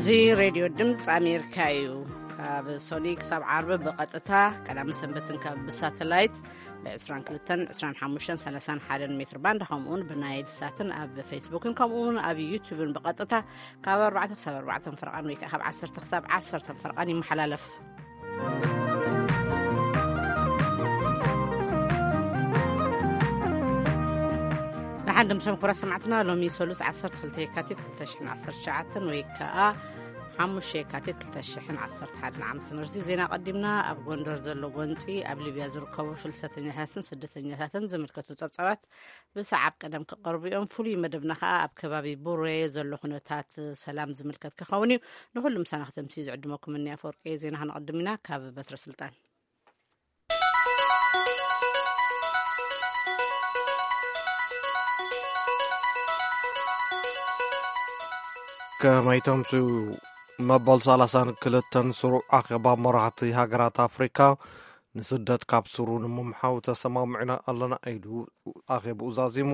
እዚ ሬድዮ ድምፂ ኣሜሪካ እዩ። ካብ ሶኒ ክሳብ ዓርቢ ብቐጥታ፣ ቀዳምን ሰንበትን ካብ ብሳተላይት ብ22፣ 25፣ 31 ሜትር ባንድ፣ ከምኡውን ብናይል ሳትን ኣብ ፌስቡክን ከምኡውን ኣብ ዩቱብን ብቐጥታ ካብ ኣርባዕተ ክሳብ ኣርባዕተ ፈርቓን ወይ ከዓ ካብ ዓሰርተ ክሳብ ዓሰርተ ፈርቓን ይመሓላለፍ። ንሓን ድምሶም ክቡራት ሰማዕትና፣ ሎሚ ሰሉስ ዓሰርተ ክልተ የካቲት ክልተ ሽሕን ዓሰርተ ትሽዓተን ወይ ከዓ ሓሙሽተ የካቲት ክልተ ሽሕን ዓሰርተ ሓደን ዓመተ ምህረት እዩ። ዜና ቀዲምና። ኣብ ጎንደር ዘሎ ጎንፂ፣ ኣብ ሊብያ ዝርከቡ ፍልሰተኛታትን ስደተኛታትን ዝምልከቱ ጸብጻባት ብሰዓብ ቀደም ክቐርቡ እዮም። ፍሉይ መደብና ከዓ ኣብ ከባቢ ቡሬ ዘሎ ኩነታት ሰላም ዝምልከት ክኸውን እዩ። ንኹሉ ምሳና ክተምሲ ዝዕድመኩም እኒ ኣፈወርቂ። ዜና ክንቐድም ኢና። ካብ በትረ ስልጣን። ከመይ ተምስዩ? መበል ሰላሳን ክልተን ስሩዕ ኣኼባ መራሕቲ ሃገራት ኣፍሪካ ንስደት ካብ ስሩ ንምምሓው ተሰማሚዕና ኣለና ኢሉ ኣኼብኡ ዛዚሙ።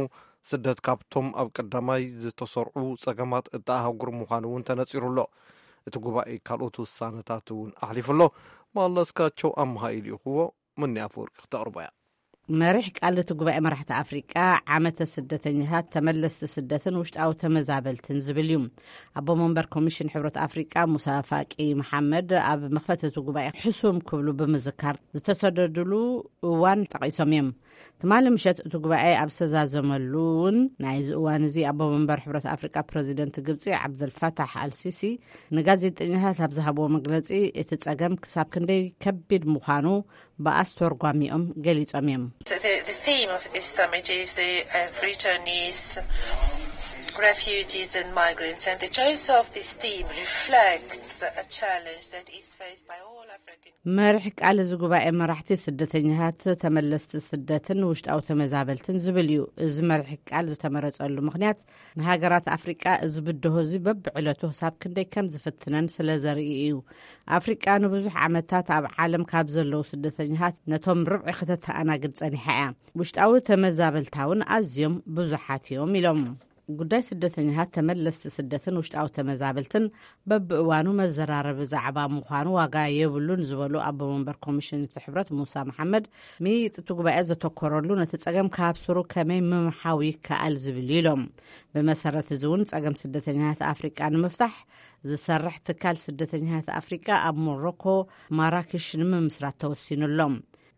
ስደት ካብቶም ኣብ ቀዳማይ ዝተሰርዑ ጸገማት እታ ኣህጉር ምዃኑ እውን ተነጺሩ ኣሎ። እቲ ጉባኤ ካልኦት ውሳነታት እውን ኣሕሊፉ ኣሎ። መለስካቸው ኣምሃ ኢልእኽዎ። ምኒ ኣፈወርቂ ክተቕርቦ እያ። መሪሕ ቃል እቲ ጉባኤ መራሕቲ ኣፍሪቃ ዓመተ ስደተኛታት፣ ተመለስቲ ስደትን ውሽጣዊ ተመዛበልትን ዝብል እዩ። ኣቦ መንበር ኮሚሽን ሕብረት ኣፍሪቃ ሙሳ ፋቂ መሓመድ ኣብ መኽፈቲ እቲ ጉባኤ ሕሱም ክብሉ ብምዝካር፣ ዝተሰደድሉ እዋን ጠቒሶም እዮም። ትማሊ ምሸት እቲ ጉባኤ ኣብ ዝተዛዘመሉ እውን ናይዚ እዋን እዚ ኣቦ መንበር ሕብረት ኣፍሪቃ ፕረዚደንት ግብፂ ዓብደልፋታሕ ኣልሲሲ ንጋዜጠኛታት ኣብ ዝሃብዎ መግለፂ፣ እቲ ጸገም ክሳብ ክንደይ ከቢድ ምዃኑ ብኣስተርጓሚኦም ገሊጾም እዮም። The, the theme of this summit is the uh, returnees, refugees and migrants, and the choice of this theme reflects a challenge that is faced by all African. መሪሕ ቃል እዚ ጉባኤ መራሕቲ ስደተኛታት፣ ተመለስቲ ስደትን ውሽጣዊ ተመዛበልትን ዝብል እዩ። እዚ መሪሕ ቃል ዝተመረጸሉ ምኽንያት፣ ንሃገራት ኣፍሪቃ እዚ ብድሆ እዚ በብዕለቱ ክሳብ ክንደይ ከም ዝፍትነን ስለ ዘርኢ እዩ። ኣፍሪቃ ንብዙሕ ዓመታት ኣብ ዓለም ካብ ዘለዉ ስደተኛታት ነቶም ርብዒ ከተተኣናግድ ጸኒሓ እያ። ውሽጣዊ ተመዛበልታ እውን ኣዝዮም ብዙሓት እዮም ኢሎም። ጉዳይ ስደተኛታት፣ ተመለስቲ ስደትን ውሽጣዊ ተመዛበልትን በብእዋኑ መዘራረቢ ዛዕባ ምዃኑ ዋጋ የብሉን ዝበሉ ኣቦ መንበር ኮሚሽን እቲ ሕብረት ሙሳ መሓመድ፣ ምይይጥ እቲ ጉባኤ ዘተኮረሉ ነቲ ጸገም ካብ ስሩ ከመይ ምምሓው ይከኣል ዝብል እዩ ኢሎም። ብመሰረት እዚ እውን ጸገም ስደተኛታት ኣፍሪቃ ንምፍታሕ ዝሰርሕ ትካል ስደተኛታት ኣፍሪቃ ኣብ ሞሮኮ ማራክሽ ንምምስራት ተወሲኑ ኣሎ።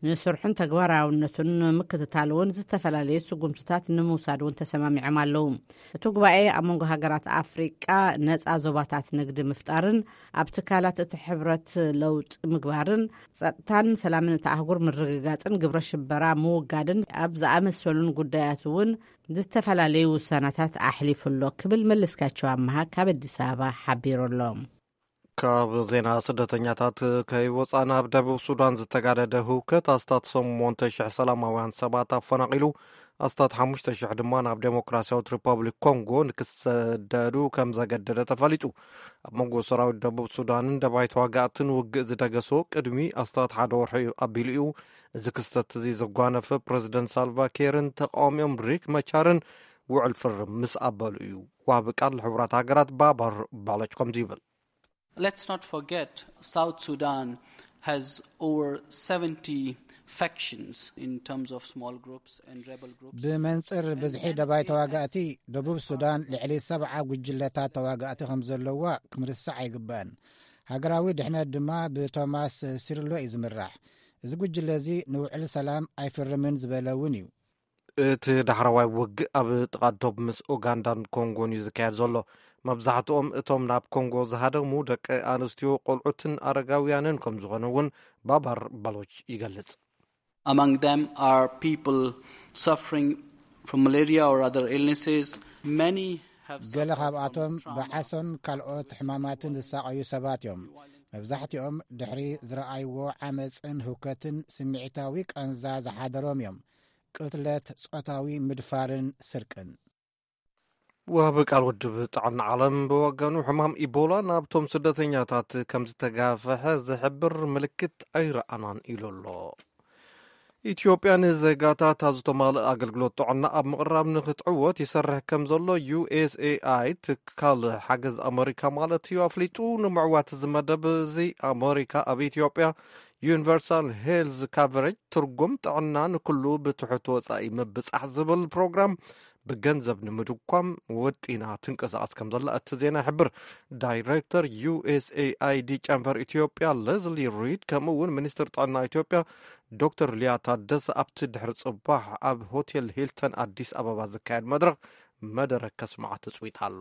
ንስርሑን ተግባራውነቱን ንምክትታል እውን ዝተፈላለዩ ስጉምትታት ንምውሳድ እውን ተሰማሚዖም ኣለዉ። እቲ ጉባኤ ኣብ መንጎ ሃገራት ኣፍሪቃ ነጻ ዞባታት ንግዲ ምፍጣርን ኣብ ትካላት እቲ ሕብረት ለውጢ ምግባርን ጸጥታን ሰላምን እቲ ኣህጉር ምርግጋጽን ግብረ ሽበራ ምውጋድን ኣብ ዝኣመሰሉን ጉዳያት እውን ዝተፈላለዩ ውሳናታት ኣሕሊፉ ኣሎ ክብል መለስካቸው ኣመሃ ካብ ኣዲስ ኣበባ ሓቢሩ ኣሎ። ካብ ዜና ስደተኛታት ከይወፃና፣ ኣብ ደቡብ ሱዳን ዝተጋደደ ህውከት ኣስታት ሸሞንተ ሽሕ ሰላማውያን ሰባት ኣፈናቒሉ፣ ኣስታት ሓሙሽተ ሽሕ ድማ ናብ ዴሞክራሲያዊት ሪፐብሊክ ኮንጎ ንክሰደዱ ከም ዘገደደ ተፈሊጡ። ኣብ መንጎ ሰራዊት ደቡብ ሱዳንን ደባይ ተዋጋእትን ውግእ ዝደገሶ ቅድሚ ኣስታት ሓደ ወርሒ ኣቢሉ እዩ። እዚ ክስተት እዚ ዘጓነፈ ፕረዚደንት ሳልቫ ኬርን ተቃዋሚኦም ሪክ መቻርን ውዕል ፍርም ምስ ኣበሉ እዩ። ዋቢ ቃል ሕቡራት ሃገራት ባባር ባሎች ከምዚ ይብል። Let's not forget, South Sudan has over seventy factions in terms of small groups and rebel groups. ብመንጽር ብዝሒ ደባይ ተዋጋእቲ፣ ደቡብ ሱዳን ልዕሊ ሰብዓ ጉጅለታት ተዋጋእቲ ከም ዘለዋ ክንርስዕ ኣይግባእን። ሃገራዊ ድሕነት ድማ ብቶማስ ሲርሎ እዩ ዝምራሕ። እዚ ጉጅለ እዚ ንውዕል ሰላም ኣይፍርምን ዝበለ እውን እዩ። እቲ ዳሕረዋይ ውግእ ኣብ ጥቓ ዶብ ምስ ኡጋንዳን ኮንጎን እዩ ዝካየድ ዘሎ። መብዛሕትኦም እቶም ናብ ኮንጎ ዝሃደሙ ደቂ ኣንስትዮ፣ ቆልዑትን ኣረጋውያንን ከም ዝኾኑ እውን ባባር ባሎች ይገልጽ። Among them are people suffering from malaria or other illnesses. Many have ገለ suffered from ካብኣቶም trauma. ብዓሶን ካልኦት ሕማማትን ዝሳቐዩ ሰባት እዮም። መብዛሕትኦም ድሕሪ ዝረኣይዎ ዓመፅን ህውከትን ስምዒታዊ ቃንዛ ዝሓደሮም እዮም። ቅትለት፣ ጾታዊ ምድፋርን ስርቅን። ወሃቢ ቃል ውድብ ጥዕና ዓለም ብወገኑ፣ ሕማም ኢቦላ ናብቶም ስደተኛታት ከም ዝተጋፈሐ ዝሕብር ምልክት ኣይረኣናን ኢሉ ኣሎ። ኢትዮጵያ ንዜጋታታ ዝተማልእ ኣገልግሎት ጥዕና ኣብ ምቕራብ ንክትዕወት ይሰርሕ ከም ዘሎ ዩ ኤስ ኤ ኣይ፣ ትካል ሓገዝ ኣመሪካ ማለት እዩ፣ ኣፍሊጡ። ንምዕዋት እዚ መደብ እዚ ኣመሪካ ኣብ ኢትዮጵያ ዩኒቨርሳል ሄልዝ ካቨሬጅ፣ ትርጉም ጥዕና ንኩሉ ብትሑት ወጻኢ ምብጻሕ ዝብል ፕሮግራም ብገንዘብ ንምድኳም ወጢና ትንቀሳቐስ ከም ዘላ እቲ ዜና ይሕብር። ዳይሬክተር ዩ ኤስ ኤ ኣይ ዲ ጨንፈር ኢትዮጵያ ሌዝሊ ሪድ፣ ከምኡ እውን ሚኒስትር ጥዕና ኢትዮጵያ ዶክተር ሊያ ታደሰ ኣብቲ ድሕሪ ጽባሕ ኣብ ሆቴል ሂልተን ኣዲስ ኣበባ ዝካየድ መድረኽ መደረ ከስምዓ ትጽቢት ኣሎ።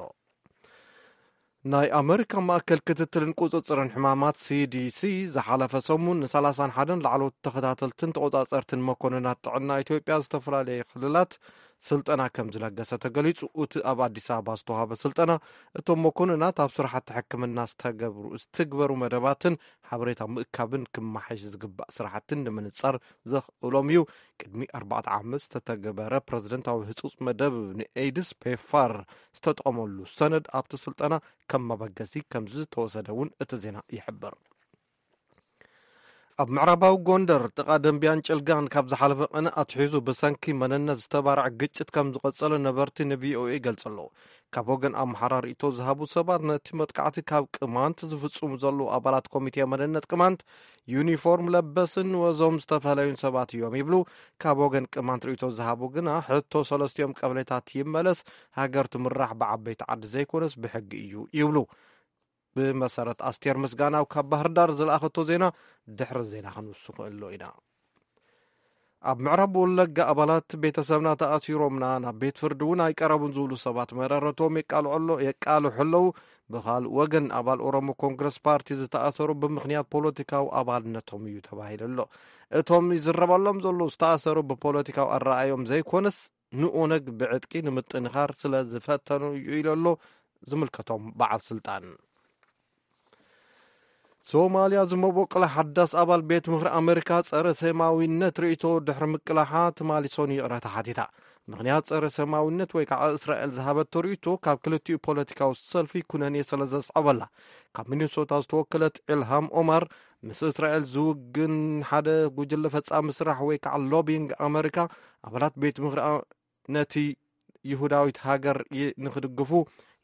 ናይ ኣመሪካ ማእከል ክትትልን ቁጽጽርን ሕማማት ሲ ዲ ሲ ዝሓለፈ ሰሙን ን ሰላሳን ሓደን ላዕለዎት ተኸታተልትን ተቖጻጸርትን መኮንናት ጥዕና ኢትዮጵያ ዝተፈላለየ ክልላት ስልጠና ከም ዝለገሰ ተገሊጹ። እቲ ኣብ ኣዲስ ኣበባ ዝተዋህበ ስልጠና እቶም መኮንናት ኣብ ስራሕቲ ሕክምና ዝተገብሩ፣ ዝትግበሩ መደባትን ሓበሬታ ምእካብን ክመሓሽ ዝግባእ ስራሕትን ንምንጻር ዘኽእሎም እዩ። ቅድሚ ኣርባዕተ ዓመት ዝተተገበረ ፕረዚደንታዊ ህጹጽ መደብ ንኤድስ ፔፋር ዝተጠቐመሉ ሰነድ ኣብቲ ስልጠና ከም መበገሲ ከም ዝተወሰደ እውን እቲ ዜና ይሕብር። ኣብ ምዕራባዊ ጎንደር ጥቓ ደንቢያን ጭልጋን ካብ ዝሓለፈ ቅነ ኣትሒዙ ብሰንኪ መንነት ዝተባርዐ ግጭት ከም ዝቐጸለ ነበርቲ ን ቪ ኦ ኤ ይገልጹ ኣለዉ። ካብ ወገን ኣምሓራ ርእይቶ ዝሃቡ ሰባት፣ ነቲ መጥቃዕቲ ካብ ቅማንት ዝፍጽሙ ዘለዉ ኣባላት ኮሚቴ መንነት ቅማንት፣ ዩኒፎርም ለበስን ወዞም ዝተፈለዩን ሰባት እዮም ይብሉ። ካብ ወገን ቅማንት ርእይቶ ዝሃቡ ግና፣ ሕቶ ሰለስቲኦም ቀበሌታት ይመለስ፣ ሃገር ትምራሕ ብዓበይቲ ዓዲ ዘይኮነስ ብሕጊ እዩ ይብሉ። ብመሰረት ኣስቴር ምስጋናው ካብ ባህር ዳር ዝለኣኸቶ ዜና፣ ድሕሪ ዜና ክንውስኾ ኣሎ ኢና። ኣብ ምዕራብ ወለጋ ኣባላት ቤተሰብና ተኣሲሮምና፣ ናብ ቤት ፍርዲ እውን ኣይቀረቡን ዝብሉ ሰባት መረረቶም የቃልዑ ኣሎ-፣ የቃልሑ ኣለዉ። ብኻልእ ወገን፣ ኣባል ኦሮሞ ኮንግረስ ፓርቲ ዝተኣሰሩ ብምኽንያት ፖለቲካዊ ኣባልነቶም እዩ ተባሂሉ ኣሎ። እቶም ይዝረበሎም ዘለዉ ዝተኣሰሩ ብፖለቲካዊ ኣረኣዮም ዘይኮነስ፣ ንኦነግ ብዕጥቂ ንምጥንኻር ስለ ዝፈተኑ እዩ ኢሉ ኣሎ ዝምልከቶም በዓል ስልጣን። ሶማልያ ዝመበቆለ ሓዳስ ኣባል ቤት ምኽሪ ኣመሪካ ጸረ ሴማዊነት ርእይቶ ድሕሪ ምቅላሓ፣ ትማሊ ሰኑ ይቕረታ ሓቲታ። ምኽንያት ጸረ ሴማዊነት ወይ ከዓ እስራኤል ዝሃበቶ ርእይቶ ካብ ክልቲኡ ፖለቲካዊ ሰልፊ ኩነኔ ስለ ዘስዓበላ፣ ካብ ሚኒሶታ ዝተወከለት ኢልሃም ኦማር፣ ምስ እስራኤል ዝውግን ሓደ ጉጅለ ፈጻሚ ስራሕ ወይ ከዓ ሎቢንግ ኣመሪካ፣ ኣባላት ቤት ምኽሪ ኣ-፣ ነቲ ይሁዳዊት ሃገር ይ-፣ ንኽድግፉ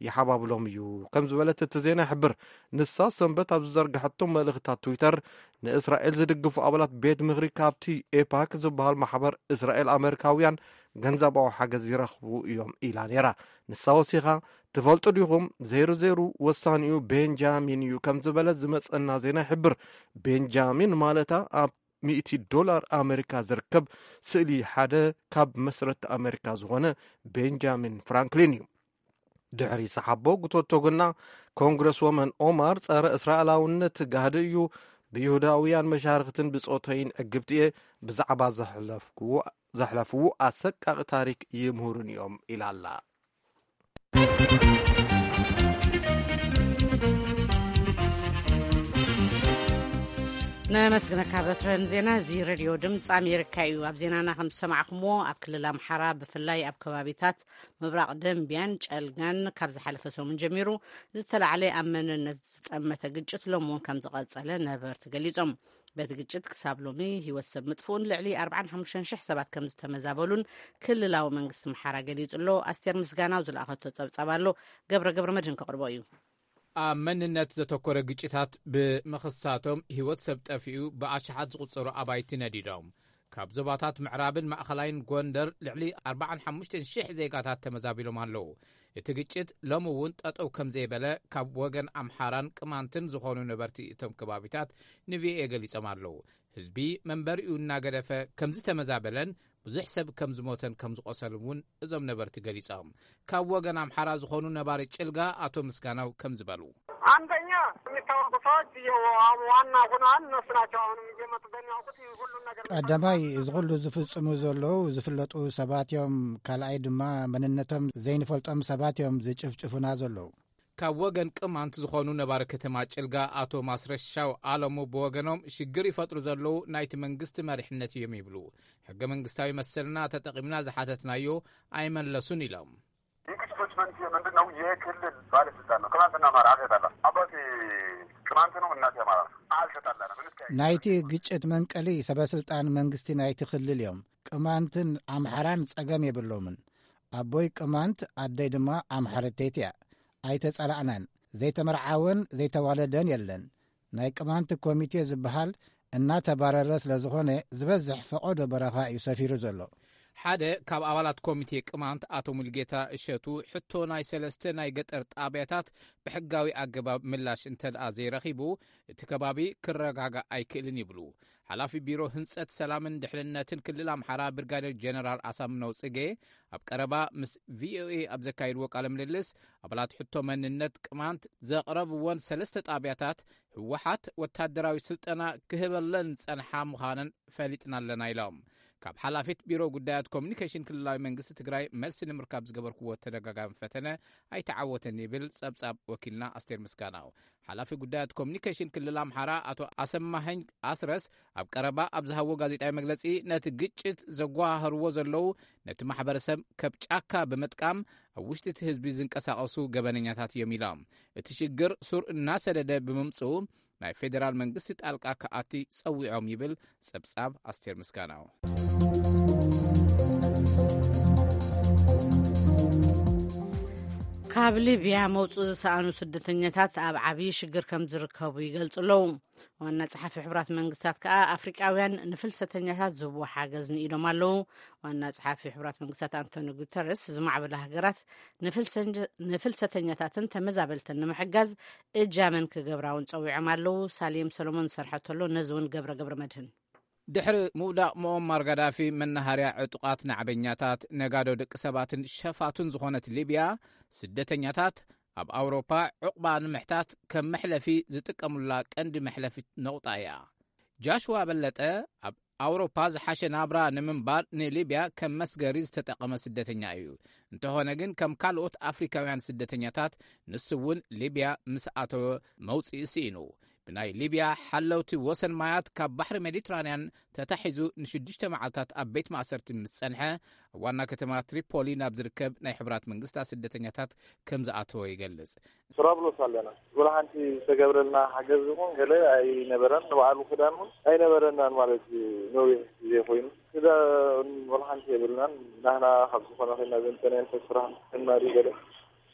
ይሓባብሎም እዩ ከም ዝበለት እቲ ዜና ይሕብር። ንሳ ሰንበት ኣብ ዝዘርግሐቶ መልእኽታት ትዊተር፣ ንእስራኤል ዝድግፉ ኣባላት ቤት ምኽሪ ካብቲ ኤፓክ ዝበሃል ማሕበር እስራኤል ኣመሪካውያን ገንዘባዊ ሓገዝ ይረኽቡ እዮም ኢላ ነይራ። ንሳ ወሲኻ፣ "ትፈልጡ ዲኹም፣ ዜሩ ዜሩ ወሳኒኡ ቤንጃሚን እዩ" ከም ዝበለት ዝመጸና ዜና ይሕብር። ቤንጃሚን ማለታ ኣብ ሚእቲ ዶላር ኣመሪካ ዝርከብ ስእሊ ሓደ ካብ መስረቲ ኣመሪካ ዝኾነ ቤንጃሚን ፍራንክሊን እዩ። ድሕሪ ሰሓቦ ጉቶቶ ግና፣ ኮንግረስ ወመን ኦማር፣ ጸረ እስራኤላውነት ጋህዲ እዩ፣ ብይሁዳውያን መሻርኽትን ብጾተይን ዕግብቲ እየ፣ ብዛዕባ ዘሕለፍክዎ-፣ ዘሕለፍዎ ኣሰቃቂ ታሪክ ይምህሩን እዮም ኢላ ኣላ። ነመስግነካ በትረን ዜና። እዚ ሬድዮ ድምፂ ኣሜሪካ እዩ። ኣብ ዜናና ከም ዝሰማዕኩምዎ፣ ኣብ ክልል ኣምሓራ፣ ብፍላይ ኣብ ከባቢታት ምብራቕ ደንቢያን ጨልጋን፣ ካብ ዝሓለፈ ሰሙን ጀሚሩ ዝተላዕለ ኣብ መንነት ዝጠመተ ግጭት ሎሚ እውን ከም ዝቐጸለ ነበርቲ ገሊጾም። በቲ ግጭት ክሳብ ሎሚ ህይወት ሰብ ምጥፍኡን ልዕሊ ኣርባዓን ሓሙሽተን ሽሕ ሰባት ከም ዝተመዛበሉን ክልላዊ መንግስቲ ኣምሓራ ገሊጹ ኣሎ። ኣስቴር ምስጋናው ዝለኣኸቶ ጸብጻብ ኣሎ፣ ገብረ ገብረ መድህን ከቕርቦ እዩ። ኣብ መንነት ዘተኮረ ግጭታት ብምኽሳቶም ህይወት ሰብ ጠፊኡ፣ ብኣሽሓት ዝቑጸሩ ኣባይቲ ነዲዶም። ካብ ዞባታት ምዕራብን ማእኸላይን ጎንደር ልዕሊ ኣርባዓን ሓሙሽተን ሽሕ ዜጋታት ተመዛቢሎም ኣለዉ። እቲ ግጭት ሎሚ እውን ጠጠው ከም ዘይበለ ካብ ወገን ኣምሓራን ቅማንትን ዝኾኑ ነበርቲ እቶም ከባቢታት ንቪኦኤ ገሊጾም ኣለዉ። ህዝቢ መንበሪኡ እናገደፈ ከም ዝተመዛበለን ብዙሕ ሰብ ከም ዝሞተን ከም ዝቖሰልን እውን እዞም ነበርቲ ገሊጾም። ካብ ወገን ኣምሓራ ዝኾኑ ነባሪ ጭልጋ ኣቶ ምስጋናው ከም ዝበሉ። አንደኛ የሚታወቁ ሰዎች እየው አሁን ዋና ሆነዋል። እነሱ ናቸው አሁንም እየመጡ በሚያውቁት ሁሉን ነገር ቀዳማይ፣ እዚ ኩሉ ዝፍጽሙ ዘለዉ ዝፍለጡ ሰባት እዮም። ካልኣይ ድማ፣ መንነቶም ዘይንፈልጦም ሰባት እዮም ዝጭፍጭፉና ዘለዉ። ካብ ወገን ቅማንት ዝኾኑ ነባሪ ከተማ ጭልጋ ኣቶ ማስረሻው ኣለሙ ብወገኖም፣ ሽግር ይፈጥሩ ዘለዉ ናይቲ መንግስቲ መሪሕነት እዮም ይብሉ። ሕገ መንግስታዊ መሰልና ተጠቒምና ዝሓተትናዮ ኣይመለሱን ኢሎም። የግጭቶች መንስኤ ምንድን ነው? የክልል ባለስልጣን ነው። ቅማንትና አማራ አልተጣላም። አባቴ ቅማንት ነው፣ እናቴ አማራ ነው። አልተጣላንም። እንስከ ናይቲ ግጭት መንቀሊ ሰበስልጣን መንግስቲ ናይቲ ክልል እዮም። ቅማንትን ኣምሓራን ጸገም የብሎምን። ኣቦይ ቅማንት፣ ኣደይ ድማ ኣምሓረተይቲ እያ። ኣይተጸላእናን። ዘይተመርዓወን ዘይተዋለደን የለን። ናይ ቅማንት ኮሚቴ ዝበሃል እናተባረረ ስለ ዝኾነ፣ ዝበዝሕ ፈቐዶ በረኻ እዩ ሰፊሩ ዘሎ። ሓደ ካብ ኣባላት ኮሚቴ ቅማንት ኣቶ ሙልጌታ እሸቱ፣ ሕቶ ናይ ሰለስተ ናይ ገጠር ጣብያታት ብሕጋዊ ኣገባብ ምላሽ እንተደኣ ዘይረኺቡ፣ እቲ ከባቢ ክረጋጋእ ኣይክእልን ይብሉ። ሓላፊ ቢሮ ህንጸት ሰላምን ድሕንነትን ክልል ኣምሓራ ብርጋዴር ጀነራል ኣሳምነው ጽጌ ኣብ ቀረባ ምስ ቪኦኤ ኣብ ዘካየድዎ ቃለ ምልልስ፣ ኣባላት ሕቶ መንነት ቅማንት ዘቕረብዎን ሰለስተ ጣብያታት ህወሓት ወታደራዊ ስልጠና ክህበለን ጸንሓ ምዃነን ፈሊጥና ኣለና ኢሎም። ካብ ሓላፊት ቢሮ ጉዳያት ኮሚኒኬሽን ክልላዊ መንግስቲ ትግራይ መልሲ ንምርካብ ዝገበርክዎ ተደጋጋሚ ፈተነ ኣይተዓወተን ይብል ጸብጻብ ወኪልና ኣስቴር ምስጋናው። ሓላፊ ጉዳያት ኮሚኒኬሽን ክልል ኣምሓራ ኣቶ ኣሰማሀኝ ኣስረስ ኣብ ቀረባ ኣብ ዝሃቦ ጋዜጣዊ መግለጺ፣ ነቲ ግጭት ዘጓሃህርዎ ዘለዉ ነቲ ማሕበረሰብ ከብ ጫካ ብምጥቃም ኣብ ውሽጢ እቲ ህዝቢ ዝንቀሳቐሱ ገበነኛታት እዮም ኢሎም። እቲ ሽግር ሱር እናሰደደ ብምምፅኡ ናይ ፌዴራል መንግስቲ ጣልቃ ክኣቲ ጸዊዖም ይብል ጸብጻብ ኣስቴር ምስጋናው። ካብ ሊብያ መውፅኡ ዝሰኣኑ ስደተኛታት ኣብ ዓብዪ ሽግር ከም ዝርከቡ ይገልጹ ኣለዉ። ዋና ጸሓፊ ሕቡራት መንግስታት ከኣ ኣፍሪቃውያን ንፍልሰተኛታት ዝህብዎ ሓገዝ ንኢዶም ኣለዉ። ዋና ጸሓፊ ሕቡራት መንግስታት ኣንቶኒ ጉተረስ፣ ዝማዕበላ ሃገራት ንፍልሰን-፣ ንፍልሰተኛታትን ተመዛበልትን ንምሕጋዝ እጃመን ክገብራ እውን ጸዊዖም ኣለዉ። ሳሌም ሰሎሞን ዝሰርሐቶ ኣሎ፣ ነዚ እውን ገብረ ገብረ መድህን። ድሕሪ ምውዳቕ ሙኦማር ጋዳፊ መናሃርያ ዕጡቓት ናዕበኛታት፣ ነጋዶ ደቂ ሰባትን ሸፋቱን ዝኾነት ሊብያ፣ ስደተኛታት ኣብ ኣውሮፓ ዕቑባ ንምሕታት ከም መሕለፊ ዝጥቀሙላ ቀንዲ መሕለፊት ነቑጣ እያ። ጃሽዋ በለጠ ኣብ ኣውሮፓ ዝሓሸ ናብራ ንምንባር ንሊብያ ከም መስገሪ ዝተጠቐመ ስደተኛ እዩ። እንተኾነ ግን ከም ካልኦት ኣፍሪካውያን ስደተኛታት ንሱ እውን ሊብያ ምስ ኣተወ መውፅኢ ስኢኑ። ብናይ ሊብያ ሓለውቲ ወሰን ማያት ካብ ባሕሪ ሜዲትራንያን ተታሒዙ ንሽዱሽተ መዓልታት ኣብ ቤት ማእሰርቲ ምስ ጸንሐ፣ ኣብ ዋና ከተማ ትሪፖሊ ናብ ዝርከብ ናይ ሕቡራት መንግስታት ስደተኛታት ከም ዝኣተወ ይገልጽ። ጥራብሎስ ኣለና። ወላ ሓንቲ ዝተገብረልና ሓገዝ ይኹን ገለ ኣይነበረን። ንባዕሉ ክዳን እውን ኣይነበረናን ማለት እዩ። ነዊሕ ግዜ ኮይኑ ክዳን ወላ ሓንቲ የብልናን። ናህና ካብ ዝኾነ ኮይና ዘምጠናየን ፈስራን እናዲ ገለ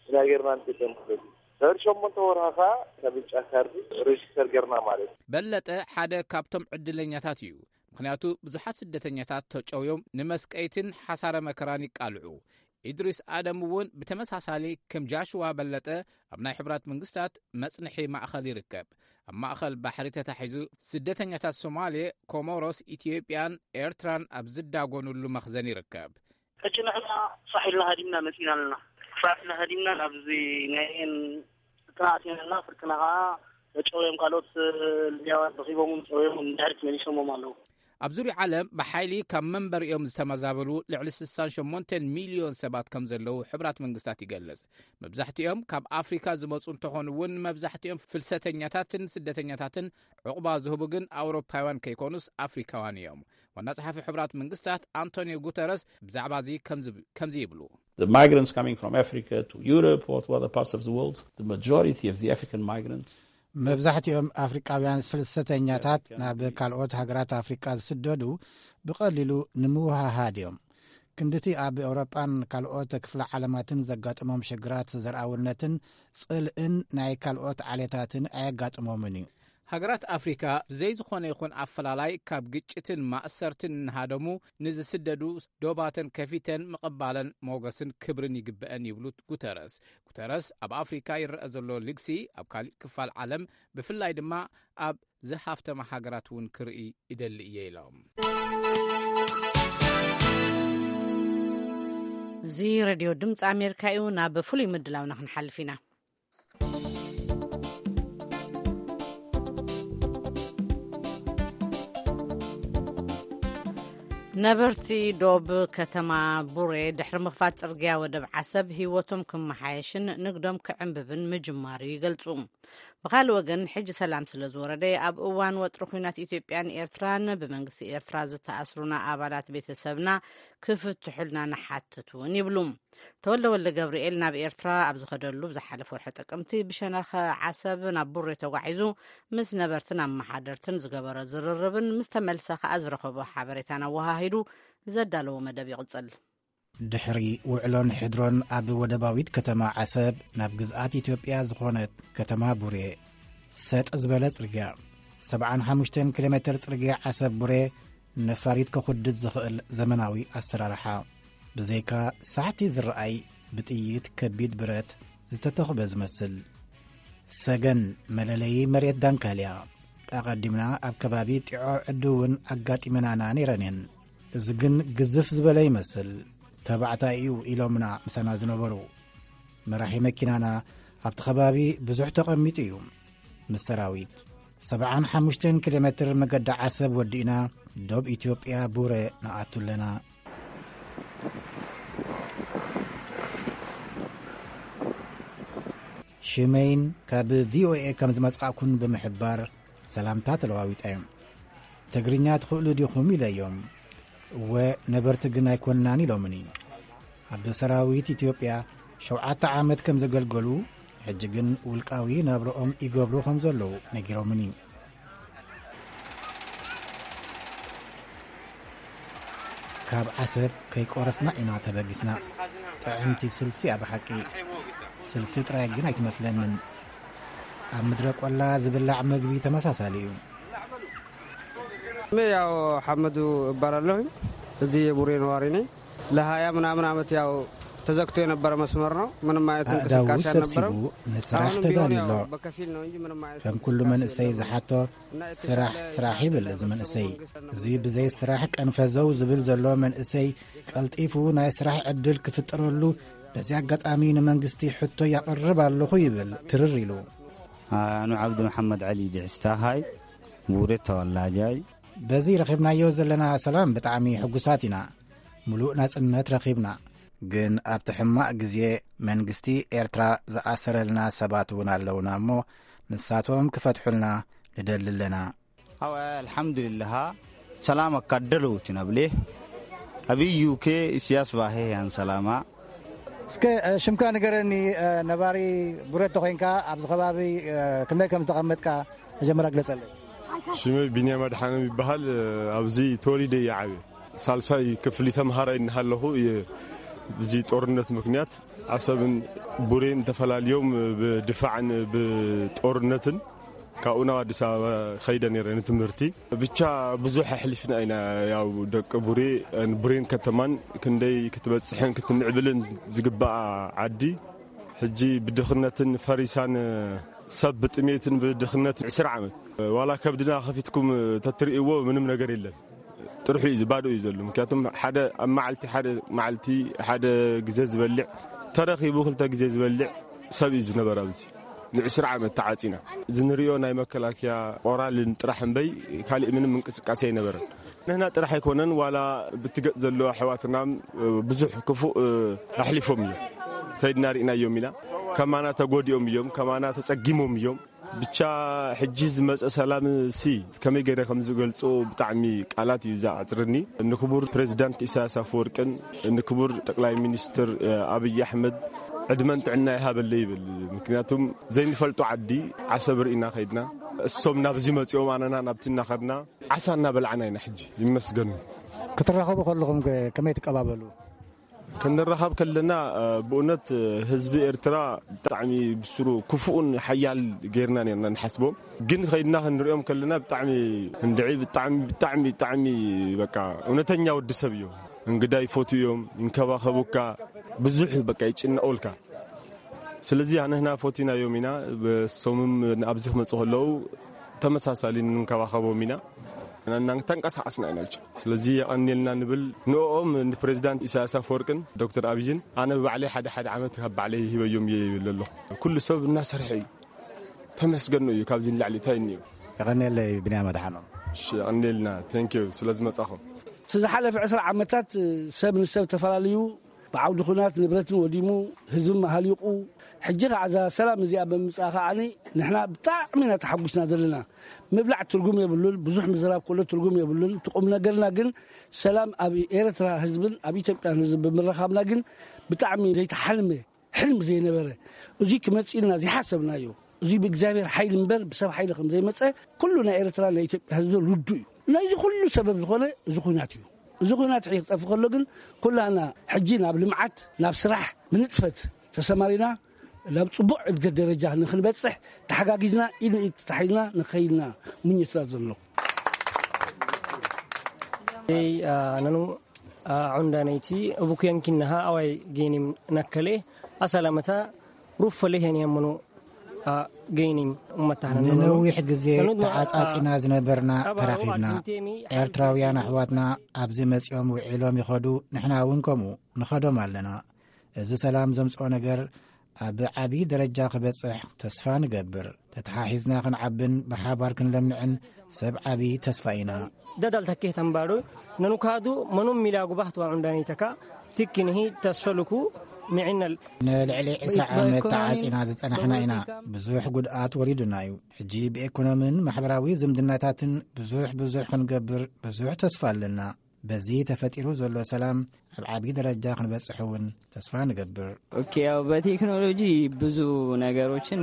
ኢና ጌርና ንጥቀም ማለት እዩ። ድሕሪ ሸሞንተ ወርሃ ኸኣ ካብ ብጫ ካርዲ ሬጅስተር ጌርና ማለት እዩ። በለጠ ሓደ ካብቶም ዕድለኛታት እዩ። ምኽንያቱ ብዙሓት ስደተኛታት ተጨውዮም ንመስቀይትን ሓሳረ መከራን ይቃልዑ። ኢድሪስ ኣደም እውን ብተመሳሳሊ ከም ጃሽዋ በለጠ ኣብ ናይ ሕቡራት መንግስታት መጽንሒ ማእኸል ይርከብ። ኣብ ማእኸል ባሕሪ ተታሒዙ ስደተኛታት ሶማሌ፣ ኮሞሮስ፣ ኢትዮጵያን ኤርትራን ኣብ ዝዳጎኑሉ መኽዘን ይርከብ። ሕጂ ንሕና ፋሕ ኢልና ሃዲምና መጺና ኣለና። ፋሕ ኢልና ሃዲምና ናብዚ ናይ ኤን ፍርቅና ኣቲና ኣለና። ፍርቅና ኸዓ ተጨውዮም ካልኦት ልብያውያን ረኺቦም ጨውዮም ድሕሪት መሊሶሞም ኣለዉ። ኣብ ዙርያ ዓለም ብሓይሊ ካብ መንበሪኦም ዝተመዛበሉ ልዕሊ ስሳን ሸሞንተን ሚልዮን ሰባት ከም ዘለዉ ሕቡራት መንግስታት ይገልጽ። መብዛሕትኦም ካብ ኣፍሪካ ዝመጹ እንተኾኑ እውን፣ መብዛሕትኦም ፍልሰተኛታትን ስደተኛታትን ዕቑባ ዝህቡ ግን ኣውሮፓውያን ከይኮኑስ ኣፍሪካውያን እዮም። ዋና ጸሓፊ ሕቡራት መንግስታት ኣንቶኒዮ ጉተረስ ብዛዕባ እዚ ከምዚ፣ ከምዚ ይብሉ። The migrants coming from Africa to Europe or to other parts of the world, the majority of the African migrants መብዛሕትኦም ኣፍሪቃውያን ፍልሰተኛታት ናብ ካልኦት ሃገራት ኣፍሪቃ ዝስደዱ ብቐሊሉ ንምውሃሃድ እዮም። ክንድቲ ኣብ ኤውሮጳን ካልኦት ክፍለ ዓለማትን ዘጋጥሞም ሽግራት ዘርኣውነትን ጽልእን ናይ ካልኦት ዓሌታትን ኣየጋጥሞምን እዩ። ሃገራት ኣፍሪካ ብዘይ ዝኾነ ይኹን ኣፈላላይ ካብ ግጭትን ማእሰርትን እናሃደሙ ንዝስደዱ ዶባተን ከፊተን ምቕባለን ሞገስን ክብርን ይግበአን ይብሉ ጉተረስ። ጉተረስ ኣብ ኣፍሪካ ይረአ ዘሎ ልግሲ ኣብ ካሊእ ክፋል ዓለም ብፍላይ ድማ ኣብ ዝሃፍተማ ሃገራት እውን ክርኢ ይደሊ እየ ኢሎም። እዚ ሬድዮ ድምፂ ኣሜሪካ እዩ። ናብ ፍሉይ ምድላውና ክንሓልፍ ኢና። ነበርቲ ዶብ ከተማ ቡሬ ድሕሪ ምኽፋት ጽርግያ ወደብ ዓሰብ ህይወቶም ክመሓየሽን ንግዶም ክዕንብብን ምጅማሩ ይገልጹ። ብኻልእ ወገን፣ ሕጂ ሰላም ስለ ዝወረደ፣ ኣብ እዋን ወጥሪ ኲናት ኢትዮጵያን ኤርትራን ብመንግስቲ ኤርትራ ዝተኣስሩና ኣባላት ቤተሰብና ክፍትሑልና ንሓትት እውን ይብሉ። ተወልደ ወልደ ገብርኤል ናብ ኤርትራ ኣብ ዝኸደሉ ብዝሓለፈ ወርሒ ጥቅምቲ ብሸነኸ ዓሰብ ናብ ቡሬ ተጓዒዙ ምስ ነበርትን ኣመሓደርትን ዝገበሮ ዝርርብን ምስ ተመልሰ ከኣ ዝረኸቦ ሓበሬታን ኣወሃሂዱ ዘዳለዎ መደብ ይቕጽል። ድሕሪ ውዕሎን ሕድሮን ኣብ ወደባዊት ከተማ ዓሰብ ናብ ግዝኣት ኢትዮጵያ ዝኾነት ከተማ ቡሬ ሰጥ ዝበለ ጽርግያ፣ ሰብዓን ሓሙሽተን ኪሎ ሜትር ጽርግያ ዓሰብ ቡሬ ነፋሪት ከኹድድ ዝኽእል ዘመናዊ ኣሰራርሓ። ብዘይካ ሳሕቲ ዝረኣይ ብጥይት ከቢድ ብረት ዝተተኽበ ዝመስል። ሰገን መለለዪ መሬት ዳንካልያ። ኣቐዲምና ኣብ ከባቢ ጢዖ ዕዱ እውን ኣጋጢመናና ነይረን እየን። እዚ ግን ግዝፍ ዝበለ ይመስል። ተባዕታይ እዩ ኢሎምና ምሳና ዝነበሩ። መራሒ መኪናና ኣብቲ ከባቢ ብዙሕ ተቐሚጡ እዩ። ምስ ሰራዊት ሰብዓን ሓሙሽተን ኪሎ ሜትር መገዲ ዓሰብ ወዲእና ዶብ ኢትዮጵያ ቡረ ንኣቱ ኣለና። ሽመይን ካብ ቪኦኤ ከም ዝመጽኣኩን ብምሕባር ሰላምታ ተለዋዊጠ። ትግርኛ ትኽእሉ ዲኹም ኢለዮም። እወ፣ ነበርቲ ግን ኣይኮንናን ኢሎምኒ። ኣብ ሰራዊት ኢትዮጵያ ሸውዓተ ዓመት ከም ዘገልገሉ፣ ሕጂ ግን ውልቃዊ ናብርኦም ይገብሩ ከም ዘለዉ ነጊሮምኒ። ካብ ዓሰብ ከይቆረስና ኢና ተበጊስና። ጥዕምቲ ስልሲ እያ ብሓቂ። ስልሲ ጥራይ ግን ኣይትመስለንን። ኣብ ምድረ ቆላ ዝብላዕ መግቢ ተመሳሳሊ እዩ። ስሜ ያው ሐመዱ እባላለሁኝ። እዚህ የቡሬ ነዋሪ ነኝ። ለሀያ ምናምን ዓመት ያው ተዘግቶ የነበረ መስመር ነው። ምንም አይነት አእዳው እንቅስቃሴ ሰብስቡ አልነበረም። ንስራሕ አሁንም ቢሆን ተዳልዩ ያው ኣሎ። በከፊል ነው እንጂ ምንም አይነት ከም ኩሉ እንቅስቃሴ መንእሰይ የለውም። ዝሓቶ እና የተሻለ ስራሕ፣ ስራሕ ይብል እዚ መንእሰይ። መንግስት እዚ ብዘይ ስራሕ ቀንፈዘው ዝብል ዘሎ መንእሰይ ቀልጢፉ ናይ ስራሕ ዕድል ክፍጠረሉ በዚ ኣጋጣሚ ንመንግስቲ ሕቶ ያቕርብ ኣለኹ ይብል ትርር ኢሉ። ኣኑ ዓብዱ መሓመድ ዓሊ ድሕስታ ሃይ ቡሬ ተወላጃይ። በዚ ረኺብናዮ ዘለና ሰላም ብጣዕሚ ሕጉሳት ኢና። ሙሉእ ናጽነት ረኺብና። ግን ኣብቲ ሕማቕ ግዜ መንግስቲ ኤርትራ ዝኣሰረልና ሰባት እውን ኣለውና እሞ ንሳቶም ክፈትሑልና ንደሊ ኣለና። ኣው ኣልሓምዱሊላሃ ሰላም ኣካደለውቲ ናብሌ ኣብይ ዩኬ ኢስያስ ባሄ ያን ሰላማ። እስከ፣ እ፣ ሽምካ ንገረኒ፣ እ፣ ነባሪ ቡሬ ተኾይንካ ኣብዚ ከባቢ፣ እ፣ ክንደይ ከም ዝተቐመጥካ መጀመርያ ግለጸለይ። ሽመይ ቢንያም ኣድሓኖም ይበሃል። ኣብዚ ተወሊደ እየ ዓብየ። ሳልሳይ ክፍሊ ተምሃራይ እናሃለኹ እየ ብዚ ጦርነት ምኽንያት ዓሰብን ቡሬን ተፈላልዮም ብድፋዕን ብጦርነትን ካብኡ ናብ ኣዲስ ኣበባ ኸይደ ነይረ ንትምህርቲ። ብቻ ብዙሕ ኣሕሊፍና ኢና። ያው ደቂ ቡሬ፣ ቡሬን ከተማን ክንደይ ክትበጽሕን ክትምዕብልን ዝግባኣ ዓዲ ሕጂ ብድኽነትን ፈሪሳን ሰብ ብጥሜትን ብድኽነትን ዕስራ ዓመት ዋላ ከብድና ከፊትኩም ተትርእይዎ ምንም ነገር የለን። ጥርሑ እዩ፣ ባዶ እዩ ዘሎ። ምክንያቱም ሓደ ኣብ መዓልቲ፣ ሓደ መዓልቲ፣ ሓደ ግዜ ዝበልዕ፣ ተረኺቡ ክልተ ግዜ ዝበልዕ ሰብ እዩ ዝነበረ ኣብዚ። ንዕስራ ዓመት ተዓጺና። እዚ ንሪኦ ናይ መከላከያ ቆራልን ጥራሕ እምበይ ካሊእ ምንም እንቅስቃሴ ኣይነበረን። ንህና ጥራሕ ኣይኮነን፣ ዋላ ብትገጽ ዘሎ ኣሕዋትና ብዙሕ ክፉእ ኣሕሊፎም እዮም። ከይድና ርኢናዮም ኢና። ከማና ተጎዲኦም እዮም፣ ከማና ተጸጊሞም እዮም። ብቻ ሕጂ ዝመጸ ሰላም ሲ ከመይ ገይረ ከም ዝገልጾ ብጣዕሚ ቃላት እዩ ዝዓጽርኒ። ንክቡር ፕሬዚዳንት ኢሳያስ ኣፈወርቅን ንክቡር ጠቅላይ ሚኒስትር፣ እ፣ ኣብይ ኣሕመድ ዕድመን ጥዕና ይሃበለይ ይብል። ምክንያቱም ዘይንፈልጦ ዓዲ ዓሰብ ርኢና ከይድና፣ እሶም ናብዚ መጺኦም ኣነና ናብቲ እናኸድና ዓሳ እናበላዕና ኢና ሕጂ። ይመስገኑ። ክትራኸቡ ከለኹም ከ ከመይ ትቀባበሉ? ክንራኸብ ከለና፣ እ፣ ብእውነት፣ እ፣ ህዝቢ ኤርትራ ብጣዕሚ ብስሩ ክፉእን ሓያል ጌርና ኔርና ንሓስቦ። ግን ኸይድና ክንሪኦም ከለና ብጣዕሚ እንድዒ፣ ብጣዕሚ፣ ብጣዕሚ፣ ብጣዕሚ በቃ እውነተኛ ወዲ ሰብ እዮም። እንግዳ ይፈትዩ እዮም፣ ይንከባኸቡካ፣ ብዙሕ በቃ ይጭነቑልካ። ስለዚ ኣነህና ፈቲናዮም ኢና። በሶምም ኣብዚ ክመጹ ከለዉ ተመሳሳሊ ንንከባኸቦም ኢና። እና ተንቀሳቐስና ኢና ብቻ። ስለዚ የቐንየልና ንብል ንኦም ንፕሬዚዳንት ኢሳያስ ኣፈወርቅን ዶክተር ኣብይን። ኣነ ብባዕለይ ሓደ ሓደ ዓመት ካብ ባዕለይ ሂበዮም እየ ይብል ኣለኹ። ኩሉ ሰብ እናሰርሐ እዩ። ተመስገን እዩ። ካብዚ ንላዕሊ እንታይ እኒኦ? የቐንየለይ ብንያም ኣድሓኖም። እሺ፣ የቐንየልና። ቴንክ ዩ ስለ ዝመጻኹም። እቲ ዝሓለፈ ዕስራ ዓመታት ሰብ ንሰብ ተፈላለዩ ብዓውዲ ኹናት ንብረትን ወዲሙ፣ ህዝቢ መሃሊቑ፣ ሕጂ ከዓ እዛ ሰላም እዚኣ ብምምፅኣ ከዓ ንሕና ብጣዕሚ ኢና ተሓጒስና ዘለና። ምብላዕ ትርጉም የብሉን፣ ብዙሕ ምዝራብ ከሎ ትርጉም የብሉን። እቲ ቁም ነገርና ግን ሰላም ኣብ ኤርትራ ህዝብን ኣብ ኢትዮጵያ ህዝብን ብምርኻብና ግን ብጣዕሚ ዘይተሓልመ ሕልም ዘይነበረ፣ እዚ ክመጽእ ኢልና ዘይሓሰብናዮ፣ እዚ ብእግዚኣብሔር ሓይሊ እምበር ብሰብ ሓይሊ ከም ዘይመጸ ኩሉ ናይ ኤርትራ ናይ ኢትዮጵያ ህዝቢ ርዱእ እዩ። ናይዚ ኩሉ ሰበብ ዝኾነ እዚ ኹናት እዩ። እዚ ኹናት ሕጂ ክጠፍእ ከሎ ግን ኩላና ሕጂ ናብ ልምዓት፣ ናብ ስራሕ ብንጥፈት ተሰማሪና ናብ ጽቡቕ እድገት ደረጃ ንኽንበጽሕ ተሓጋጊዝና ኢድ ንኢድ ተታሒዝና ንኸይድና ምኞትና ዘሎ። Ei, a, nanu, a, cundaniti, ubukuyankinnaha, awai, genim, nakkale, asalamata, ruffale, heniyammanu, a, genim, ummatahnanu. ንነዊሕ ግዜ ተዓጻጺና ዝነበርና ተራኺብና። ኤርትራውያን ኣሕዋትና ኣብዚ መጺኦም ውዒሎም ይኸዱ፣ ንሕና እውን ከምኡ ንኸዶም ኣለና። እዚ ሰላም ዘምጽኦ ነገር ኣብ ዓቢ ደረጃ ክበጽሕ ተስፋ ንገብር። ተተሓሒዝና ክንዓብን ብሓባር ክንለምዕን ሰብ ዓቢ ተስፋ ኢና። Dadal takkee tambaado nanu kaadu manum milaa gubahtu a cundanitaka tikkinhi tasfaluku micinal. ንልዕሊ ዕስራ ዓመት ተዓጺና ዝጸናሕና ኢና። ብዙሕ ጉድኣት ወሪዱና እዩ። ሕጂ ብኤኮኖምን ማሕበራዊ ዝምድናታትን ብዙሕ ብዙሕ ክንገብር ብዙሕ ተስፋ ኣለና። በዚ ተፈጢሩ ዘሎ ሰላም ኣብ ዓቢ ደረጃ ክንበጽሕ እውን ተስፋ ንገብር። ኦኬ፣ ያው በቴክኖሎጂ ብዙ ነገሮችን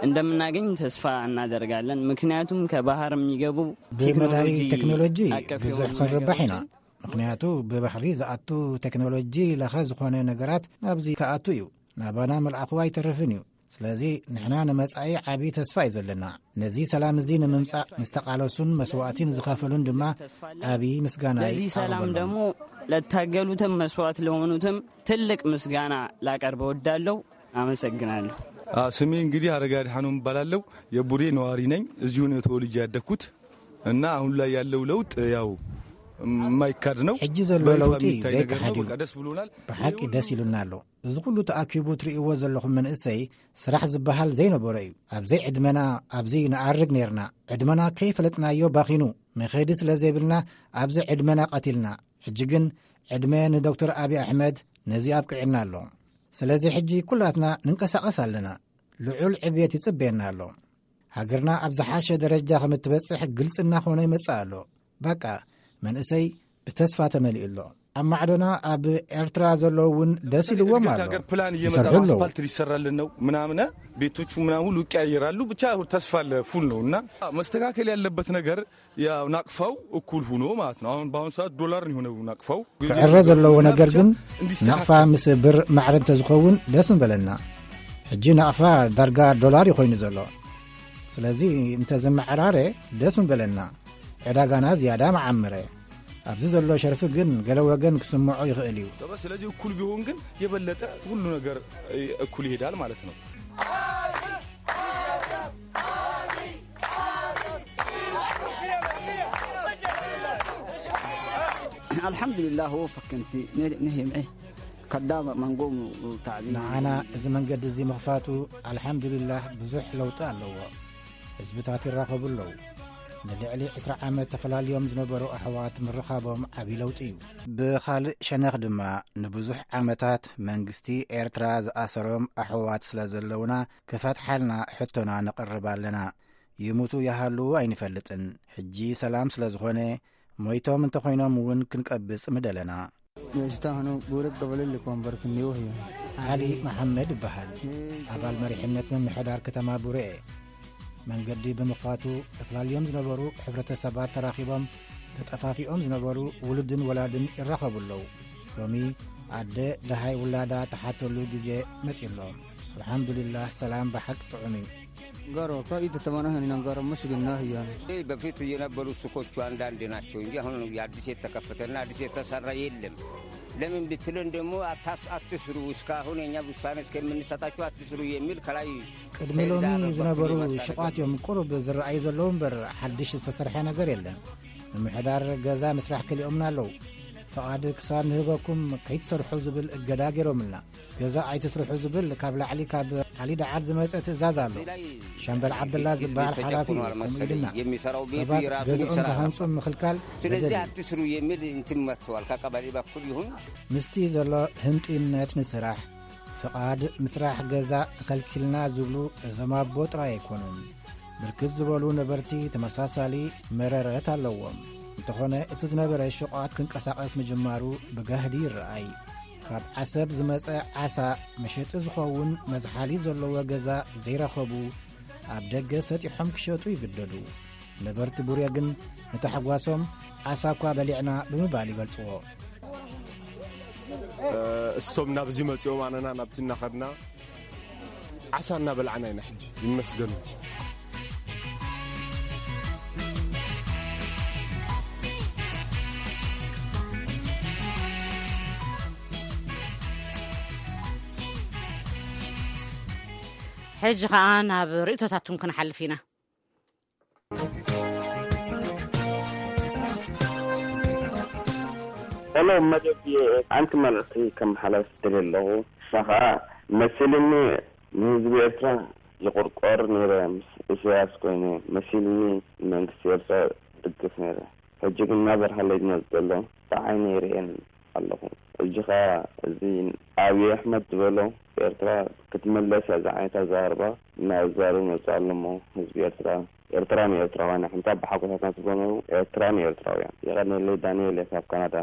እንደምናገኝ ተስፋ እናደርጋለን። ምክንያቱም ከባህር የሚገቡ ብመዳይ ቴክኖሎጂ ብዙሕ ክንርባሕ ኢና። ምክንያቱ ብባሕሪ ዝኣቱ ቴክኖሎጂ ለኸ ዝኾነ ነገራት ናብዚ ክኣቱ እዩ። ናባና መልኣኹ ኣይተርፍን እዩ። ስለዚ ንሕና ንመጻኢ ዓቢ ተስፋ እዩ ዘለና። ነዚ ሰላም እዚ ንምምጻእ ንዝተቓለሱን መስዋእቲ ንዝኸፈሉን ድማ ዓቢ ምስጋና ነዚ ሰላም ይቐርበሎም። ደግሞ ለታገሉትም መስዋዕት ለሆኑትም ትልቅ ምስጋና ላቀርብ እወዳለሁ። አመሰግናለሁ። ስሜ እንግዲህ አረጋ ድሓኖም እባላለሁ። የቡሬ ነዋሪ ነኝ። እዚሁ ነው ተወልጄ ያደግኩት እና አሁን ላይ ያለው ለውጥ ያው የማይካድ ነው። ሕጂ ዘሎ በይፋ ለውጢ የሚታይ ነገር ነው። ዘይከሓድ እዩ። በቃ ደስ ብሎናል። ብሓቂ ደስ ኢሉና ኣሎ። እዚ ኩሉ ተኣኪቡ ትርእይዎ ዘለኹም መንእሰይ ስራሕ ዝበሃል ዘይነበሮ እዩ። ኣብ ዘይዕድመና ኣብዚ ንኣርግ ነይርና። ዕድመና ከይፈለጥናዮ ባኺኑ። መኸዲ ስለ ዘይብልና ኣብዚ ዕድመና ቀቲልና። ሕጂ ግን ዕድመ ንዶክተር ኣብይ ኣሕመድ ነዚ ኣብቂዕና ኣሎ። ስለዚ ሕጂ ኩላትና ንንቀሳቐስ ኣለና። ልዑል ዕብየት ይጽበየና ኣሎ። ሃገርና ኣብ ዝሓሸ ደረጃ ከም እትበጽሕ ግልጺ እናኾነ ይመጽእ ኣሎ። በቃ መንእሰይ ብተስፋ ተመሊኡ ኣሎ። ኣብ ማዕዶና ኣብ ኤርትራ ዘለዉ እውን ደስ ኢልዎም ኣሎ። ፕላን ይሰርሑ እየመጣ ኣለዉ። አስፋልት ሊሰራልን ነው ምናምን ቤቶቹ ምናምን ሁሉ ይቀያየራሉ። ብቻ ተስፋ አለ ፉል ነው እና መስተካከል ያለበት ነገር ያው ናቅፋው እኩል ሁኖ ማለት ነው። አሁን በአሁኑ ሰዓት ዶላር ነው የሆነው ናቅፋው። ክዕረ ዘለዎ ነገር ግን ናቕፋ ምስ ብር ማዕረ እንተዝኸውን ደስ ምበለና። ሕጂ ናቕፋ ዳርጋ ዶላር እዩ ኮይኑ ዘሎ። ስለዚ እንተዝመዓራረ ደስ ምበለና። ዕዳጋና ዝያዳ መዓመረ። ኣብዚ ዘሎ ሸርፊ ግን ገለ ወገን ክስምዖ ይኽእል እዩ። ስለዚህ እኩል ቢሆን ግን የበለጠ ሁሉ ነገር እኩል ይሄዳል ማለት ነው። الحمد لله هو فكنتي نهي معي كدام منقوم تعليم ንዓና እዚ መንገዲ እዚ ምኽፋቱ ኣልሓምዱሊላህ ብዙሕ ለውጢ ኣለዎ። ህዝብታት ይራኸቡ ኣለዉ። ንልዕሊ ዕስራ ዓመት ተፈላልዮም ዝነበሩ ኣሕዋት ምርኻቦም ዓብዪ ለውጢ እዩ። ብኻልእ ሸነኽ ድማ ንብዙሕ ዓመታት መንግስቲ ኤርትራ ዝኣሰሮም ኣሕዋት ስለ ዘለዉና ክፈትሓልና ሕቶና ነቕርብ ኣለና። ይሙቱ ይሃልዉ ኣይንፈልጥን። ሕጂ ሰላም ስለ ዝኾነ ሞይቶም እንተኾይኖም እውን ክንቀብጽ ምደለና። Meeshitaahnu guura gabalilli koombarkinni wahiya. ዓሊ መሓመድ ይበሃል። ኣባል መሪሕነት ምምሕዳር ከተማ ቡሬ። መንገዲ ብምኽፋቱ ተፈላልዮም ዝነበሩ ሕብረተሰባት ተራኺቦም፣ ተጠፋፊኦም ዝነበሩ ውሉድን ወላድን ይራኸቡ ኣለዉ። ሎሚ ኣደ ደሃይ ውላዳ ተሓተሉ ግዜ መጺ ኣሎ። ኣልሓምዱሊላህ ሰላም ብሓቂ ጥዑም እዩ። Garoo ka itti tamanahani nan garoo masjidin naahiyan. በፊት የነበሩ ሱቆቹ አንዳንድ ናቸው እንጂ አሁን አዲስ የተከፈተና አዲስ የተሰራ የለም። ለምን ብትለን ደግሞ አታስ አትስሩ እስካሁን የኛ ውሳኔ እስከምንሰጣችሁ አትስሩ የሚል ከላይ ቅድሚ ሎሚ ዝነበሩ ሽቋት እዮም ቁሩብ ዝረኣዩ ዘለዉ እምበር ሓድሽ ዝተሰርሐ ነገር የለን። ምምሕዳር ገዛ ምስራሕ ከሊኦምና ኣለዉ። ፍቓድ ክሳብ ንህበኩም ከይትሰርሑ ዝብል እገዳ ገይሮምልና። ገዛ ኣይትስርሑ ዝብል ካብ ላዕሊ ካብ ዓሊ ደዓል ዝመጸ ትእዛዝ ኣሎ። ሻምበል ዓብደላ ዝበሃል ሓላፊ እዩ ከምኡ ኢልና። ሰባት ገዝኦም ክሃንጹ ምኽልካል ስለዚህ በደል እዩ። ኣትስሩ የሚል እንትን መጥተዋል። ከቀበሌ በኩል ይሁን ምስቲ ዘሎ ህንጡይነት ንስራሕ። ፍቓድ ምስራሕ ገዛ ተኸልኪልና ዝብሉ እዞም ኣቦ ጥራይ ኣይኮኑን። ብርክት ዝበሉ ነበርቲ ተመሳሳሊ መረረት ኣለዎም። እንተኾነ እቲ ዝነበረ ሽቋት ክንቀሳቐስ ምጅማሩ ብጋህዲ ይረኣይ። ካብ ዓሰብ ዝመጸ ዓሳ መሸጢ ዝኸውን መዝሓሊ ዘለዎ ገዛ ዘይረኸቡ ኣብ ደገ ሰጢሖም ክሸጡ ይግደዱ። ነበርቲ ቡሬ ግን ንታሕጓሶም ዓሳ እኳ በሊዕና ብምባል ይገልጽዎ። እሶም ናብዚ መጺኦም ኣነና ናብቲ እናኸድና ዓሳ እናበላዕና ኢና ሕጂ። ይመስገን። ሕጂ ኸኣ ናብ ርእይቶታትኩም ክንሓልፍ ኢና። ሄሎ መደብ፣ ሓንቲ መልእኽቲ ከመሓላልፍ ደልየ ኣለኹ። ንሳ ኸኣ መሲልኒ ንህዝቢ ኤርትራ ይቑርቆር ነይረ፣ ምስ ኢሳያስ ኮይነ መሲልኒ ንመንግስቲ ኤርትራ ድግፍ ነይረ። ሕጂ ግን እናበርሃለይ ዝመጽእ ዘሎ ብዓይነይ ይርእየን ኣለኹ። ሕጂ ኸኣ እዚ ኣብይ ኣሕመድ ዝበሎ ኤርትራ ክትምለስ እያ ዝዓይነታ ኣዘራርባ እናዛረቡ መጽኡ ኣሎ እሞ ህዝቢ ኤርትራ ኤርትራ ንኤርትራውያን ኣሕንታ ብሓጎሳትና ትበነው ኤርትራ ንኤርትራውያን። የቐንየለይ ዳንኤል እየ ካብ ካናዳ።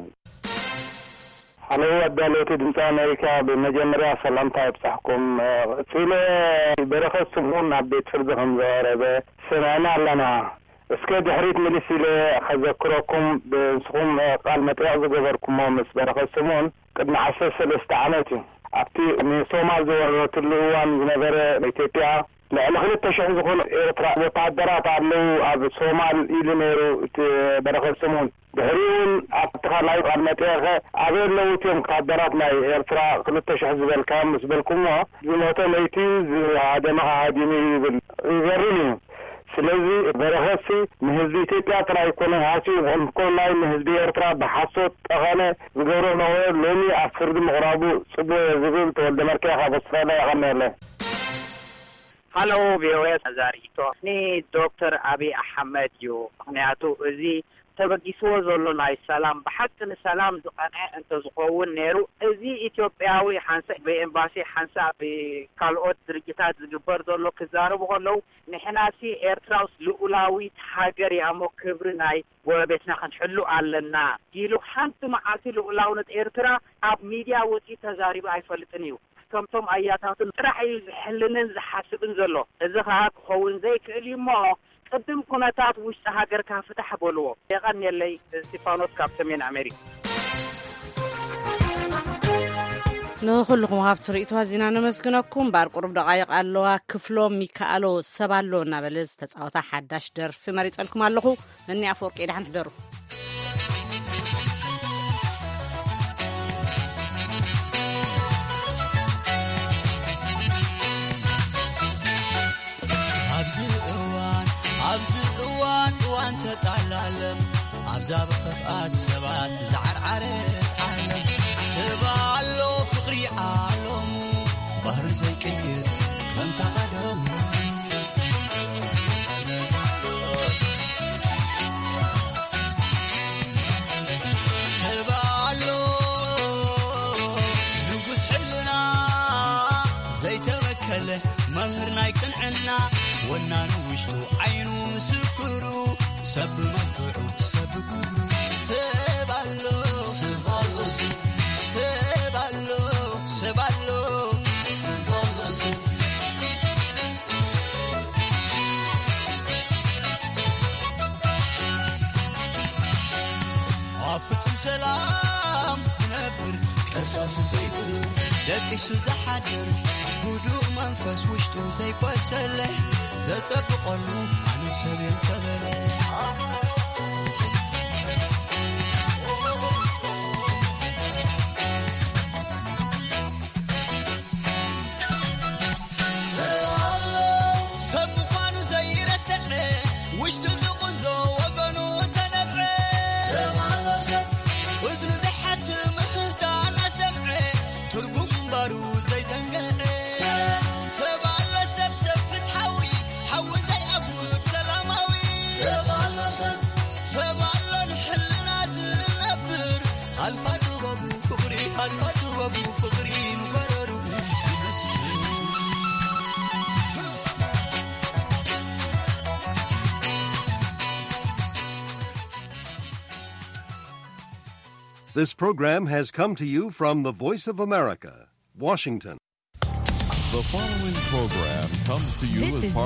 ሓለዉ ኣዳለውቲ ድምፂ ኣሜሪካ፣ ብመጀመርያ ሰላምታ ይብፃሕኩም። ቀፂለ በረኸት ስምኦን ናብ ቤት ፍርዲ ከም ዝቐረበ ሰሚዕና ኣለና። እስከ ድሕሪት ምልስ ኢለ ከዘክረኩም፣ ብንስኹም ቃል መጠየቕ ዝገበርኩሞ ምስ በረኸት ስምኦን ቅድሚ ዓሰርተ ሰለስተ ዓመት እዩ። ኣብቲ ንሶማል ዝወረረትሉ እዋን ዝነበረ ኢትዮጵያ ልዕሊ ክልተ ሽሕ ዝኾኑ ኤርትራ ወተሃደራት ኣለዉ ኣብ ሶማል ኢሉ ነይሩ እቲ በረኸት ስምኦን። ድሕሪኡ እውን ኣብቲ ካልኣይ ቃል መጠየኸ ኣበይ ኣለዉ እትዮም ወተሃደራት ናይ ኤርትራ ክልተ ሽሕ ዝበልካዮም ምስ በልኩሞ ዝሞተ መይቱ እዩ፣ ዝሃደመ ሃዲሙ እዩ ይብል። ይገርም እዩ። ስለዚ በረኸትሲ ንህዝቢ ኢትዮጵያ ጥራይ ኣይኮነን ሃስዩ፣ እንኮላይ ንህዝቢ ኤርትራ ብሓሶት ጠቐነ ዝገብሮ ነበረ፣ ሎሚ ኣብ ፍርዲ ምቕራቡ ጽቡቕ እየ ዝብል ተወልደ መርካይ ካብ ኣውስትራልያ። የቐንየለይ። ሃሎ ቪኦኤ፣ ዛሪቶ ንዶክተር ኣብይ ኣሕመድ እዩ። ምኽንያቱ እዚ ተበጊስዎ ዘሎ ናይ ሰላም፣ ብሓቂ ንሰላም ዝቐንዐ እንተዝኸውን ነይሩ፣ እዚ ኢትዮጵያዊ ሓንሳእ ብኤምባሲ ሓንሳእ ብካልኦት ድርጅታት ዝግበር ዘሎ ክዛረቡ ከለዉ፣ ንሕናሲ ኤርትራውስ ልኡላዊት ሃገር እያ እሞ ክብሪ ናይ ጎረቤትና ክንሕሉ ኣለና ኢሉ ሓንቲ መዓልቲ ልኡላውነት ኤርትራ ኣብ ሚድያ ወፂኡ ተዛሪቡ ኣይፈልጥን እዩ። ከምቶም ኣያታቱን ጥራሕ እዩ ዝሕልንን ዝሓስብን ዘሎ። እዚ ኸኣ ክኸውን ዘይክእል እዩ እሞ ቅድም ኩነታት ውሽጢ ሃገርካ ፍታሕ በልዎ። የቐንየለይ። እስቲፋኖስ ካብ ሰሜን ኣሜሪካ። ንኹልኹም ሃብቲ ርእይቶ ኣዚና ነመስግነኩም። እምበኣር ቁሩብ ደቓይቕ ኣለዋ። ክፍሎም ሚካኣሎ ሰብ ኣሎ እናበለ ዝተጻወታ ሓዳሽ ደርፊ መሪጸልኩም ኣለኹ። ነኒ ኣፈወርቂ ደሓን ሕደሩ። ኣብዚ እዋን፣ ኣብዚ እዋን፣ እዋን ተጣላለም፣ ኣብዛ ብኽፍኣት ሰባት ዝዓርዓረት ዓለም፣ ሰብ ኣሎ ፍቕሪ ዓለሙ፣ ባህሪ ዘይቅይር ከምታ ቀደሙ። ሰብ ኣሎ ንጉስ ሕልና ዘይተበከለ መምህር ናይ ቅንዕና ወናኑ ውሽጡ ዓይኑ ምስክሩ ሰብ ብመልክዑ ሰብ ብግብሩ ሰብ ኣሎ ሰብ ኣሎ ሰብ ኣሎ ሰብ ኣሎ ሰብ ኣሎ ሰብ ኣብ ፍጹም ሰላም ዝነብር ቀሳሲ ዘይብሉ ደቂሱ ዝሓድር ህዱእ መንፈስ ውሽጡ ዘይቆሰለ ዘጸብቐሉ ኣነ ሰብ እየ እንተበለ ሰብ ምዃኑ ዘይረስዐ ውሽጡ ዝቕንዞ ወገኑ ተነብዐ ሰብ ኣሎ ሰብ እዝኑ ዝሓ This program has come to you from the Voice of America, Washington. The following program comes to you This as is part